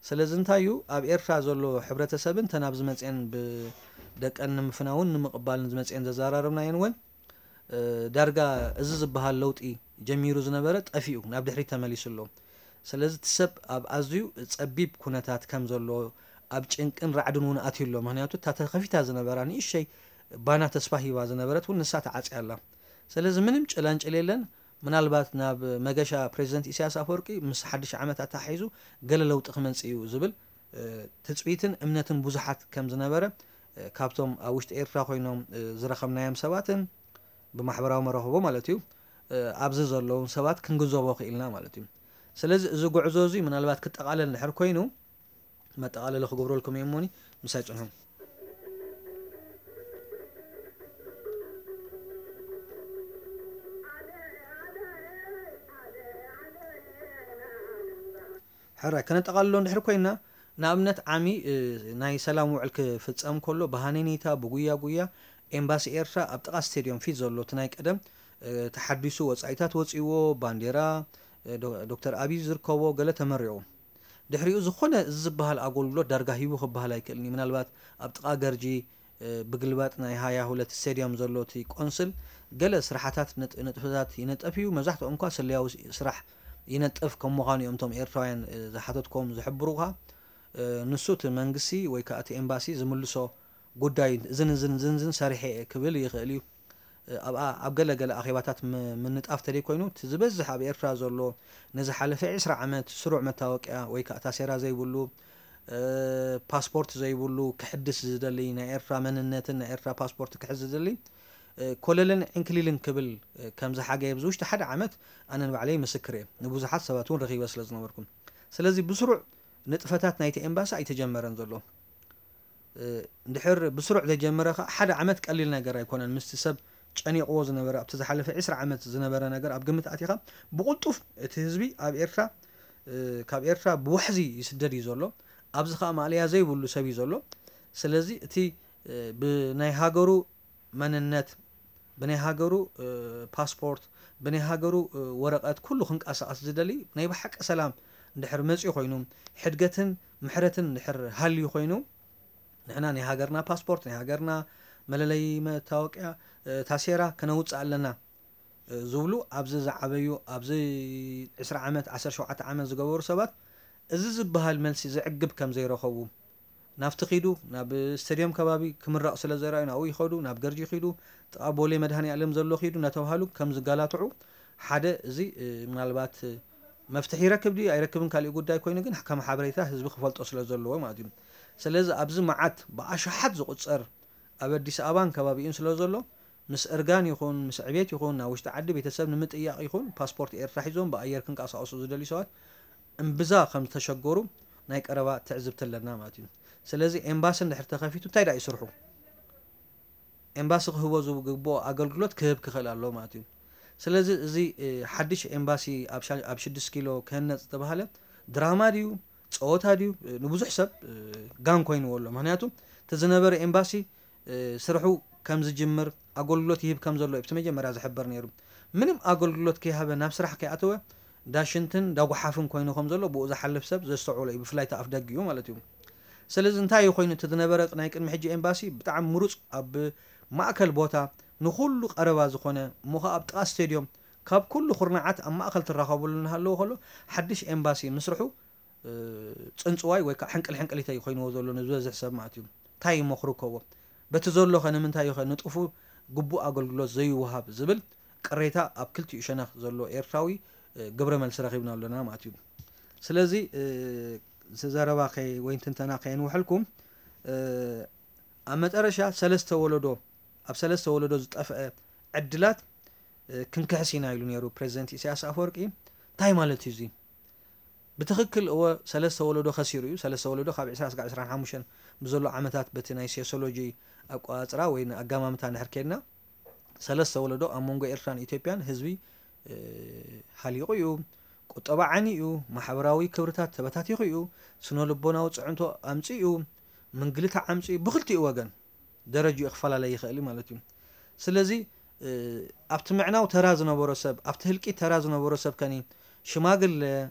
ስለዚ እንታይ እዩ ኣብ ኤርትራ ዘሎ ሕብረተሰብን ተን ኣብዚ መፅኤን ብደቀን ንምፍናውን ንምቕባልን ዝመፅኤን ዘዘራረብናየን እውን ዳርጋ እዚ ዝበሃል ለውጢ ጀሚሩ ዝነበረ ጠፊኡ ናብ ድሕሪት ተመሊሱ ኣሎ። ስለዚ እቲ ሰብ ኣብ ኣዝዩ ጸቢብ ኩነታት ከም ዘሎ፣ ኣብ ጭንቅን ራዕድን እውን ኣትዩ ኣሎ። ምኽንያቱ እታ ተኸፊታ ዝነበራ ንእሸይ ባና ተስፋ ሂባ ዝነበረት እውን ንሳ ተዓጽያ ኣላ። ስለዚ ምንም ጭላንጭል የለን። ምናልባት ናብ መገሻ ፕሬዚደንት ኢሳያስ ኣፈወርቂ ምስ ሓድሽ ዓመት ኣተሓሒዙ ገለ ለውጢ ክመጽእ እዩ ዝብል ትጽቢትን እምነትን ብዙሓት ከም ዝነበረ ካብቶም ኣብ ውሽጢ ኤርትራ ኮይኖም ዝረኸብናዮም ሰባትን ብማሕበራዊ መራኸቦ ማለት እዩ ኣብዚ ዘለውን ሰባት ክንግንዘቦ ክኢልና ማለት እዩ። ስለዚ እዚ ጉዕዞ እዚ ምናልባት ክጠቓለል እንድሕር ኮይኑ መጠቓለሊ ክገብረልኩም እየ እሞኒ ምሳይ ጽንሑ። ሕራይ ከነጠቓልሎ እንድሕር ኮይና፣ ንኣብነት ዓሚ ናይ ሰላም ውዕል ክፍጸም ከሎ ብሃነይነይታ ብጉያ ጉያ ኤምባሲ ኤርትራ ኣብ ጥቓ ስቴድዮም ፊት ዘሎ እቲ ናይ ቀደም ተሓዲሱ ወጻኢታት ወጺእዎ ባንዴራ ዶክተር ኣብይ ዝርከቦ ገለ ተመሪቑ። ድሕሪኡ ዝኾነ እዚ ዝበሃል ኣገልግሎት ዳርጋ ሂቡ ክበሃል ኣይክእልን እዩ። ምናልባት ኣብ ጥቓ ገርጂ ብግልባጥ ናይ ሃያ ሁለት ስቴድዮም ዘሎ እቲ ቆንስል ገለ ስራሓታት ንጥፈታት ይነጠፍ እዩ። መብዛሕትኦም እኳ ስለያዊ ስራሕ ይነጥፍ ከም ምዃኑ እዮም እቶም ኤርትራውያን ዝሓተትኮም ዝሕብሩኻ። ንሱ እቲ መንግስቲ ወይ ከዓ እቲ ኤምባሲ ዝምልሶ ጉዳይ እዝን እዝን እዝን እዝን ሰሪሐ እየ ክብል ይኽእል እዩ። ኣብኣ ኣብ ገለ ገለ ኣኼባታት ምንጣፍ ተደይ ኮይኑ እቲ ዝበዝሕ ኣብ ኤርትራ ዘሎ ንዝሓለፈ ዕስራ ዓመት ስሩዕ መታወቅያ ወይ ከዓ ታሴራ ዘይብሉ ፓስፖርት ዘይብሉ ክሕድስ ዝደሊ ናይ ኤርትራ መንነትን ናይ ኤርትራ ፓስፖርት ክሕዝ ዝደሊ ኮለልን ዕንክሊልን ክብል ከም ዝሓገየ ኣብዚ ውሽጢ ሓደ ዓመት ኣነ ንባዕለይ ምስክር እየ። ንብዙሓት ሰባት እውን ረኺበ ስለ ዝነበርኩም። ስለዚ ብስሩዕ ንጥፈታት ናይቲ ኤምባሲ ኣይተጀመረን ዘሎ። እንድሕር ብስሩዕ ዘይጀመረ ከዓ ሓደ ዓመት ቀሊል ነገር ኣይኮነን። ምስቲ ሰብ ጨኒቕዎ ዝነበረ ኣብቲ ዝሓለፈ ዕስራ ዓመት ዝነበረ ነገር ኣብ ግምት ኣቲኻ ብቕልጡፍ እቲ ህዝቢ ኣብ ኤርትራ ካብ ኤርትራ ብዋሕዚ ይስደድ እዩ ዘሎ። ኣብዚ ከዓ ማእለያ ዘይብሉ ሰብ እዩ ዘሎ። ስለዚ እቲ ብናይ ሃገሩ መንነት ብናይ ሃገሩ ፓስፖርት ብናይ ሃገሩ ወረቐት ኩሉ ክንቀሳቐስ ዝደሊ ናይ ብሓቂ ሰላም እንድሕር መፅኡ ኮይኑ ሕድገትን ምሕረትን እንድሕር ሃልዩ ኮይኑ ንሕና ናይ ሃገርና ፓስፖርት ናይ ሃገርና መለለይ መታወቅያ ታሴራ ከነውፅእ ኣለና ዝብሉ ኣብዚ ዝዓበዩ ኣብዚ ዕስራ ዓመት ዓሰርተ ሸውዓተ ዓመት ዝገበሩ ሰባት እዚ ዝበሃል መልሲ ዘዕግብ ከም ዘይረኸቡ ናብቲ ኺዱ ናብ ስቴድዮም ከባቢ ክምረቕ ስለ ዘርኣዩ ናብኡ ይኸዱ፣ ናብ ገርጂ ኺዱ፣ ጥቓ ቦሌ መድሃኔ ኣለም ዘሎ ኺዱ እናተባህሉ ከም ዝጋላትዑ ሓደ እዚ ምናልባት መፍትሒ ይረክብ ድዩ ኣይረክብን ካሊእ ጉዳይ ኮይኑ ግን ከም ሓበሬታ ህዝቢ ክፈልጦ ስለ ዘለዎ ማለት እዩ። ስለዚ ኣብዚ መዓት ብኣሽሓት ዝቑጸር ኣብ ኣዲስ ኣበባን ከባቢኡን ስለ ዘሎ ምስ እርጋን ይኹን ምስ ዕቤት ይኹን ናብ ውሽጢ ዓዲ ቤተሰብ ንምጥያቕ ይኹን ፓስፖርት ኤርትራ ሒዞም ብኣየር ክንቀሳቐሱ ዝደልዩ ሰባት እምብዛ ከም ዝተሸገሩ ናይ ቀረባ ትዕዝብቲ ኣለና ማለት እዩ። ስለዚ ኤምባሲ እንድሕር ተኸፊቱ እንታይ ደኣ ይስርሑ? ኤምባሲ ክህቦ ዝግብኦ ኣገልግሎት ክህብ ክኽእል ኣለዎ ማለት እዩ። ስለዚ እዚ ሓድሽ ኤምባሲ ኣብ ሽዱሽተ ኪሎ ክህነፅ ዝተባሃለ ድራማ ድዩ ፀወታ ድዩ ንብዙሕ ሰብ ጋን ኮይንዎ ኣሎ። ምክንያቱ እቲ ዝነበረ ኤምባሲ ስርሑ ከም ዝጅምር ኣገልግሎት ይህብ ከም ዘሎ እዩ እቲ መጀመርያ ዝሕበር ነይሩ። ምንም ኣገልግሎት ከይሃበ ናብ ስራሕ ከይኣተወ ዳሽንትን ዳጉሓፍን ኮይኑ ከም ዘሎ ብኡ ዝሓልፍ ሰብ ዘስተውዕሎ እዩ፣ ብፍላይ እቲ ኣፍ ደጊኡ ማለት እዩ። ስለዚ እንታይ እዩ ኮይኑ እቲ ዝነበረ ናይ ቅድሚ ሕጂ ኤምባሲ ብጣዕሚ ምሩፅ ኣብ ማእከል ቦታ ንኩሉ ቀረባ ዝኾነ እሞ ከዓ ኣብ ጥቓ ስቴድዮም ካብ ኩሉ ኩርናዓት ኣብ ማእከል ትራኸብሉ እናሃለዎ ከሎ ሓድሽ ኤምባሲ ምስርሑ ፅንፅዋይ ወይ ከዓ ሕንቅል ሕንቅሊተይ ኮይንዎ ዘሎ ንዝበዝሕ ሰብ ማለት እዩ። እንታይ እሞ ክርከቦ በቲ ዘሎኸ ንምንታይ ኸ ንጡፉ ግቡእ ኣገልግሎት ዘይወሃብ ዝብል ቅሬታ ኣብ ክልቲኡ ሸነኽ ዘሎ ኤርትራዊ ግብረ መልሲ ረኺብና ኣሎና ማለት እዩ። ስለዚ ዘረባ ወይ ትንተና ከየንውሐልኩም ኣብ መጠረሻ ሰለስተ ወለዶ ኣብ ሰለስተ ወለዶ ዝጠፍአ ዕድላት ክንክሕስ ኢና ኢሉ ነይሩ ፕሬዚደንት ኢሳያስ ኣፈወርቂ። እንታይ ማለት እዩ እዚ? ብትኽክል እወ ሰለስተ ወለዶ ከሲሩ እዩ። ሰለስተ ወለዶ ካብ ዕስራ እስካብ ዕስራን ሓሙሽተን ብዘሎ ዓመታት በቲ ናይ ሴሶሎጂ ኣቋፅራ ወይ ኣጋማምታ እንድሕር ከድና ሰለስተ ወለዶ ኣብ መንጎ ኤርትራን ኢትዮጵያን ህዝቢ ሃሊቑ እዩ። ቁጠባ ዓኒ እዩ። ማሕበራዊ ክብርታት ተበታቲኹ እዩ። ስነ ልቦናዊ ፅዕንቶ ኣምፂኡ እዩ። ምንግልታ ዓምፂኡ እዩ። ብክልቲኡ ወገን ደረጅኡ ክፈላለ ይኽእል ማለት እዩ። ስለዚ ኣብቲ ምዕናው ተራ ዝነበሮ ሰብ ኣብቲ ህልቂት ተራ ዝነበሮ ሰብ ከኒ ሽማግለ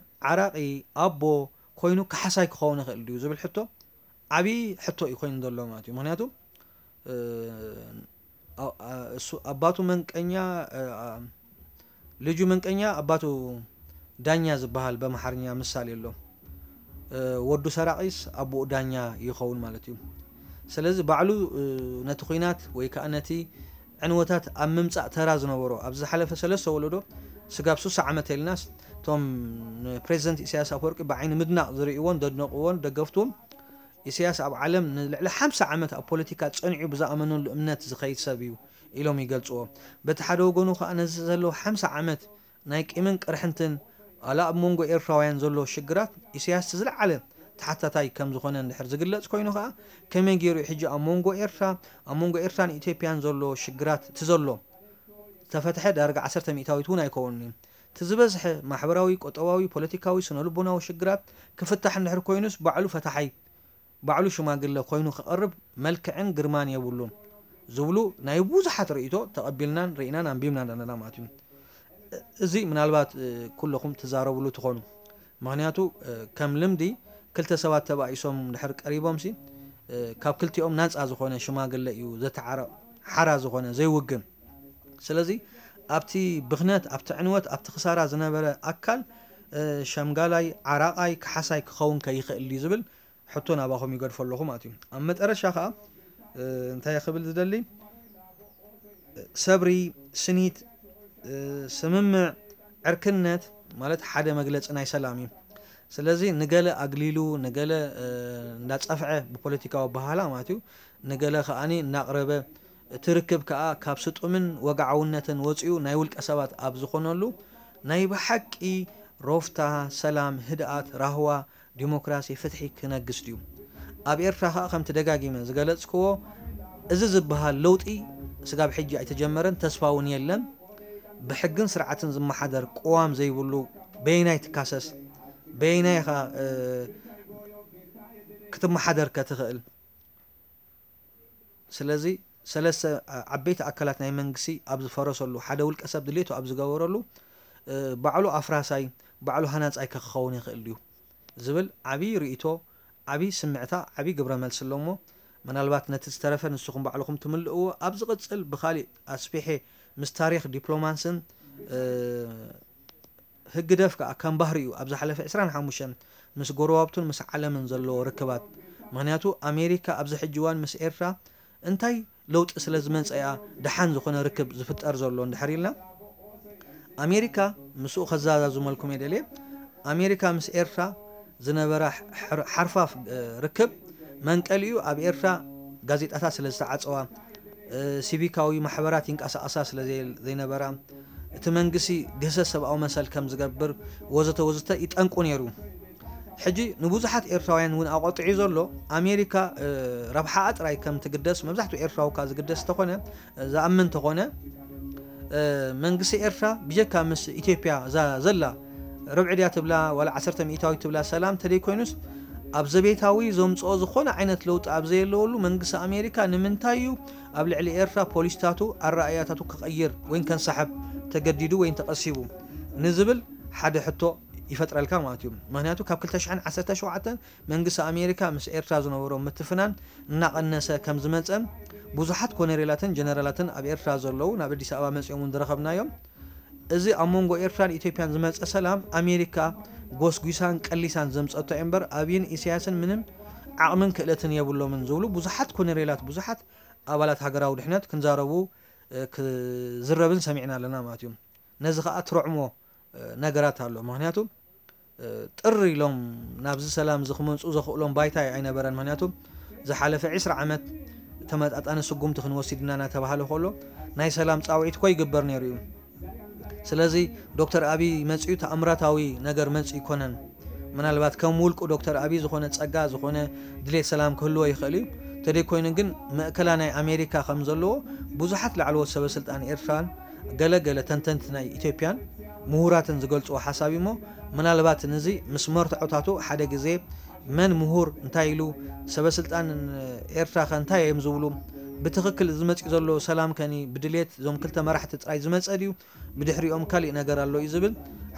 ዓራቒ ኣቦ ኮይኑ ካሓሳይ ክኸውን ይኽእል ድዩ ዝብል ሕቶ ዓብዪ ሕቶ እዩ ኮይኑ ዘሎ ማለት እዩ። ምክንያቱ እሱ ኣባቱ መንቀኛ ልጁ መንቀኛ ኣባቱ ዳኛ ዝበሃል በምሓርኛ ምሳሌ ኣሎ። ወዱ ሰራቒስ ኣቦኡ ዳኛ ይኸውን ማለት እዩ። ስለዚ ባዕሉ ነቲ ኲናት ወይ ከዓ ነቲ ዕንወታት ኣብ ምምፃእ ተራ ዝነበሮ ኣብዚ ዝሓለፈ ሰለስተ ወለዶ ስጋብ ሱሳ ዓመት ኢልናስ እቶም ንፕሬዚደንት ኢሳያስ ኣፈወርቂ ብዓይኒ ምድናቕ ዝርእይዎን ዘድነቕዎን ደገፍቱን ኢሳያስ ኣብ ዓለም ንልዕሊ ሓምሳ ዓመት ኣብ ፖለቲካ ጸኒዑ ብዝኣመነሉ እምነት ዝኸይድ ሰብ እዩ ኢሎም ይገልጽዎ። በቲ ሓደ ወገኑ ከኣ ነዚ ዘሎ ሓምሳ ዓመት ናይ ቂምን ቅርሕንትን ዋላ ኣብ መንጎ ኤርትራውያን ዘሎ ሽግራት ኢሳያስ እቲ ዝለዓለ ተሓታታይ ከም ዝኾነ እንድሕር ዝግለጽ ኮይኑ ከኣ ከመይ ገይሩ እዩ ሕጂ ኣብ መንጎ ኤርትራ ኣብ መንጎ ኤርትራን ኢትዮጵያን ዘሎ ሽግራት እቲ ዘሎ ዝተፈትሐ ዳርጋ ዓሰርተ ሚእታዊት እውን ኣይከውንን እዩ። እቲ ዝበዝሐ ማሕበራዊ፣ ቁጠባዊ፣ ፖለቲካዊ፣ ስነ ልቦናዊ ሽግራት ክፍታሕ እንድሕር ኮይኑስ ባዕሉ ፈታሓይ ባዕሉ ሽማግለ ኮይኑ ክቐርብ መልክዕን ግርማን የብሉን ዝብሉ ናይ ብዙሓት ርእይቶ ተቐቢልናን ርኢናን ኣንቢብናን ኣለና ማለት እዩ። እዚ ምናልባት ኩለኹም ትዛረብሉ ትኾኑ። ምኽንያቱ ከም ልምዲ ክልተ ሰባት ተባኢሶም ድሕር ቀሪቦምሲ ካብ ክልቲኦም ናፃ ዝኾነ ሽማግለ እዩ ዘተዓረ ሓራ ዝኾነ ዘይውግን። ስለዚ ኣብቲ ብኽነት ኣብቲ ዕንወት ኣብቲ ክሳራ ዝነበረ ኣካል ሸምጋላይ ዓራቓይ ካሓሳይ ክኸውን ከይኽእል ድዩ ዝብል ሕቶ ናባኹም ይገድፎ ኣለኹ ማለት እዩ። ኣብ መጠረሻ ከዓ እንታይ ክብል ዝደሊ ሰብሪ ስኒት ስምምዕ ዕርክነት ማለት ሓደ መግለፂ ናይ ሰላም እዩ። ስለዚ ንገለ ኣግሊሉ ንገለ እንዳፀፍዐ ብፖለቲካዊ ኣበሃህላ ማለት እዩ ንገለ ከዓኒ እናቕረበ እቲ ርክብ ከዓ ካብ ስጡምን ወግዓውነትን ወፂኡ ናይ ውልቀ ሰባት ኣብ ዝኾነሉ ናይ ብሓቂ ሮፍታ ሰላም ህድኣት ራህዋ ዲሞክራሲ ፍትሒ ክነግስ ድዩ? ኣብ ኤርትራ ከኣ ከምቲ ደጋጊመ ዝገለጽክዎ እዚ ዝበሃል ለውጢ ስጋብ ሕጂ ኣይተጀመረን፣ ተስፋ እውን የለን። ብሕግን ስርዓትን ዝመሓደር ቅዋም ዘይብሉ በየናይ ትካሰስ? በየናይ ኢኻ ክትመሓደር ከትኽእል? ስለዚ ሰለስተ ዓበይቲ ኣካላት ናይ መንግስቲ ኣብ ዝፈረሰሉ፣ ሓደ ውልቀ ሰብ ድሌቱ ኣብ ዝገበረሉ ባዕሉ ኣፍራሳይ ባዕሉ ሃናጻይ ከ ክኸውን ይኽእል ድዩ ዝብል ዓብዪ ርእይቶ፣ ዓብዪ ስምዕታ፣ ዓብዪ ግብረ መልሲ ኣሎ እሞ ምናልባት ነቲ ዝተረፈ ንስኹም ባዕልኹም ትምልእዎ። ኣብ ዝቕጽል ብኻሊእ ኣስፊሐ ምስ ታሪኽ ዲፕሎማስን ህግደፍ ከኣ ከም ባህሪኡ ኣብ ዝሓለፈ ዕስራን ሓሙሽተን ምስ ጎረባብቱን ምስ ዓለምን ዘለዎ ርክባት፣ ምኽንያቱ ኣሜሪካ ኣብዚ ሕጂ እዋን ምስ ኤርትራ እንታይ ለውጢ ስለ ዝመጸ እያ ደሓን ዝኾነ ርክብ ዝፍጠር ዘሎ እንድሕር ኢልና፣ ኣሜሪካ ምስኡ ከዘዛዝመልኩም እየ ደልየ። ኣሜሪካ ምስ ኤርትራ ዝነበራ ሓርፋፍ ርክብ መንቀሊኡ ኣብ ኤርትራ ጋዜጣታት ስለ ዝተዓጸዋ፣ ሲቪካዊ ማሕበራት ይንቀሳቐሳ ስለ ዘይነበራ፣ እቲ መንግስቲ ግህሰት ሰብኣዊ መሰል ከም ዝገብር ወዘተ ወዘተ ይጠንቁ ነይሩ። ሕጂ ንብዙሓት ኤርትራውያን እውን ኣቆጢዑ ዘሎ ኣሜሪካ ረብሓኣ ጥራይ ከም ትግደስ መብዛሕትኡ ኤርትራዊ እኳ ዝግደስ እንተኾነ ዝኣምን እንተኾነ መንግስቲ ኤርትራ ብጀካ ምስ ኢትዮጵያ እዛ ዘላ ርብዒ ድያ ትብላ ዋላ ዓሰርተ ሚእታዊት ትብላ ሰላም ተደይኮይኑስ ኣብ ዘቤታዊ ዘምፅኦ ዝኾነ ዓይነት ለውጢ ኣብ ዘየለወሉ መንግስቲ ኣሜሪካ ንምንታይ እዩ ኣብ ልዕሊ ኤርትራ ፖሊሲታቱ ኣረኣእያታቱ ክቐይር ወይ ከንሳሕብ ተገዲዱ ወይ ተቐሲቡ ንዝብል ሓደ ሕቶ ይፈጥረልካ ማለት እዩ። ምክንያቱ ካብ ክልተ ሽሕን ዓሰርተ ሸውዓተን መንግስቲ ኣሜሪካ ምስ ኤርትራ ዝነበሮ ምትፍናን እናቐነሰ ከም ዝመፀን ብዙሓት ኮነሬላትን ጀነራላትን ኣብ ኤርትራ ዘለዉ ናብ ኣዲስ ኣበባ መፂኦም እውን ዝረኸብናዮም። እዚ ኣብ መንጎ ኤርትራን ኢትዮጵያን ዝመፀ ሰላም ኣሜሪካ ጎስጒሳን ቀሊሳን ዘምፀቶ እምበር ኣብይን ኢሳያስን ምንም ዓቕምን ክእለትን የብሎምን ዝብሉ ብዙሓት ኮነሬላት ብዙሓት ኣባላት ሃገራዊ ድሕነት ክንዛረቡ ክዝረብን ሰሚዕና ኣለና ማለት እዩ። ነዚ ከዓ ትረዕሞ ነገራት ኣሎ። ምክንያቱ ጥር ኢሎም ናብዚ ሰላም እዚ ክመፁ ዘኽእሎም ባይታ ኣይነበረን። ምክንያቱ ዝሓለፈ ዕስራ ዓመት ተመጣጣኒ ስጉምቲ ክንወስድ ኢና እናተባሃለ ከሎ ናይ ሰላም ፃውዒት እኮ ይግበር ነይሩ እዩ። ስለዚ ዶክተር ኣብይ መፅኡ ተኣምራታዊ ነገር መፅኡ ይኮነን። ምናልባት ከም ውልቁ ዶክተር ኣብይ ዝኾነ ፀጋ ዝኾነ ድሌት ሰላም ክህልዎ ይኽእል እዩ። ተደይኮይኑ ግን መእከላ ናይ ኣሜሪካ ከም ዘለዎ ብዙሓት ላዕለዎት ሰበ ስልጣን ኤርትራን ገለ ገለ ተንተንቲ ናይ ኢትዮጵያን ምሁራትን ዝገልፅዎ ሓሳብ እሞ ምናልባት ንዚ ምስ መርትዖታቱ ሓደ ግዜ መን ምሁር እንታይ ኢሉ ሰበ ስልጣን ኤርትራ ከ እንታይ እዮም ዝብሉ ብትኽክል ዝመፅእ ዘሎ ሰላም ከኒ ብድሌት እዞም ክልተ መራሕቲ ጥራይ ዝመፀ ድዩ ብድሕሪኦም ካሊእ ነገር ኣሎ እዩ ዝብል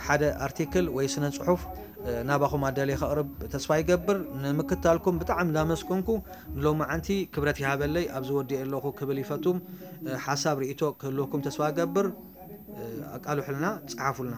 ሓደ ኣርቲክል ወይ ስነ ፅሑፍ ናባኹም ኣዳልየ ከቕርብ ተስፋ ይገብር። ንምክታልኩም ብጣዕሚ እንዳመስገንኩ ንሎማዓንቲ ክብረት ይሃበለይ ኣብዚ ወዲኤ ኣለኹ ክብል ይፈቱ። ሓሳብ ርእይቶ ክህልወኩም ተስፋ እገብር። ኣቃልሑልና፣ ጸሓፉልና።